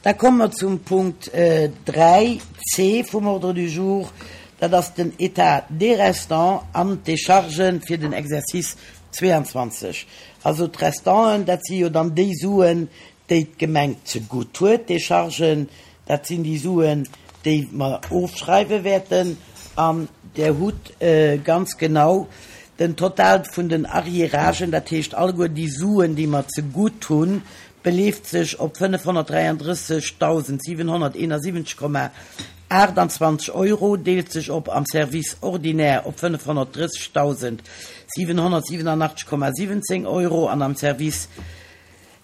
Da komme mer zum Punkt 3 c vum Ordre du jour. Dat ass den État des restants an d'Déchargen fir den Exercice 22. Also d'Restanten, dat si jo dann déi Suen, déi d'Gemeng zegutt huet. D'Déchargen, dat sinn déi Suen, déi mer ofschreiwe wäerten. An Der hutt ganz genau den Total vun den Arriéragen, dat heescht alleguer déi Suen, déi mer zegutt hunn, beleeft sech op 533.771,28 Euro, deelt sech op am Service ordinaire op 530.787,17 Euro an am Service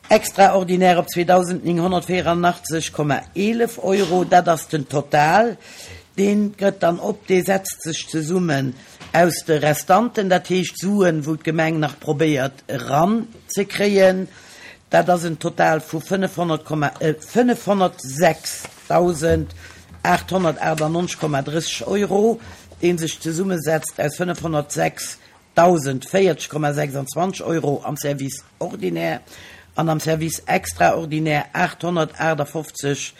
extraordinaire op 2.984,11 Euro. Dat ass den Total. Dee gëtt dann op, dee setzt sech zesummen aus de Restanten, dat heescht Suen, wou d'Gemeng nach probéiert eranzekréien. Dat ass en Total vu 506.898,30 Euro, dee sech zesummesetzt aus 506.040,26 Euro am Service ordinaire an am Service extraordinaire 858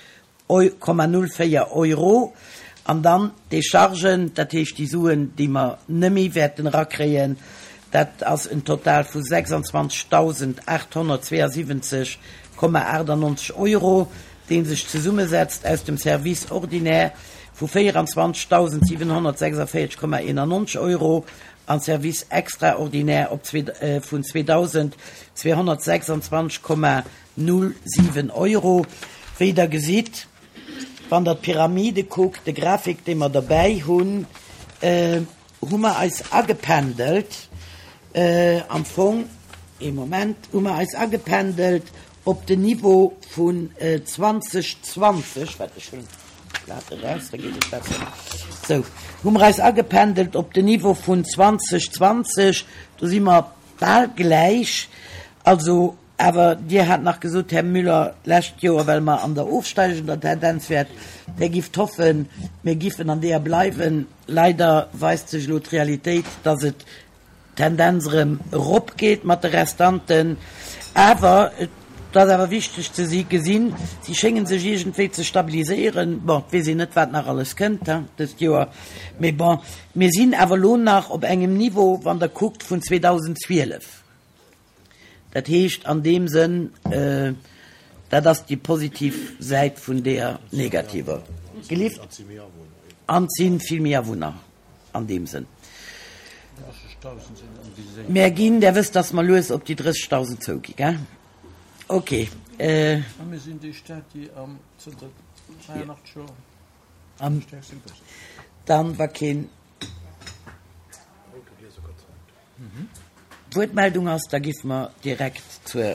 04 Euro, an dann d'Déchargen, dat heescht déi Suen, déi mer nëmme wäerten erakréien, dat ass en Total vu 26.872,98 Euro, dee sech zesummesetzt aus dem Service ordinaire vu 24.746,91 Euro an Service extraordinaire op vun 2.226,91 0,7 Euro. Wéi Der gesitt, wann Der d'Pyramide kuckt, de Grafik, dee mer derbäi hunn, hu mer eis agependelt am Fong, ee Moment, hu mer eis agependelt op den Niveau vun 2020, wat ech hunn d'Blat eraus, da geet et besser, sou, hu mer eis agependelt op den Niveau vun 2020, do si mer bal gläich, also Awer Dir hat nach gesot, Här Müller, d'lescht Joer, well mer an der ofsteigender Tendenz wäert, Dir gifft hoffen, mir giffen an deeër bleiwen. Leider weist sech elo d'Realitéit, dass et d'Tendenz erëm eropgeet mat de Restanten. Awer et ass awer wichteg ze si gesinn, si schénge sech iergendwéi ze stabiliséieren. Bon, et weess een net, wat nach alles kënnt dëst Joer, mee bon, mir sinn awer elo nach op engem Niveau, wann Der kuckt, vun 2012. Dat heescht an deem Sënn, dat ass déi positiv Säit vun deeër negativer. Gelift. An et si vill méi Awunner an deem Sënn. Mär ginn, Der wësst, datt mer lues op déi 30.000 zougi, gell? Okay. A mir sinn déi Stad, déi am zënter 82 Joer am stäerkste wuesst. Dann, wa keen. Wuertmeldung ass, da géife mer direkt zur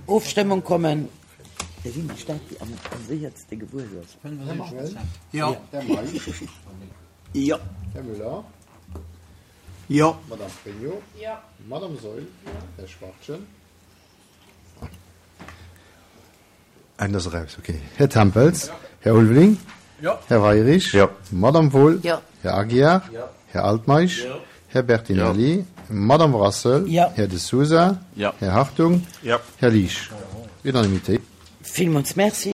Ofstëmmung kommen. Mir sinn déi Stad, déi am séierste gewuess ass. Här Mangel? Jo. Här Meisch? Jo. Här Müller? Jo. Madame Pregno? Jo. Madame Saeul? Jo. Här Schwachtgen? Ein ass eraus, okay. Här Tempels? Här Ulveling? Här Weirich? Madame Wohl? Här Aguiar? Här Altmeisch? Här Bertinelli? Madame Brassel? Här De Sousa? Här Hartung? Här Liesch? Unanimitéit. Villmools Merci.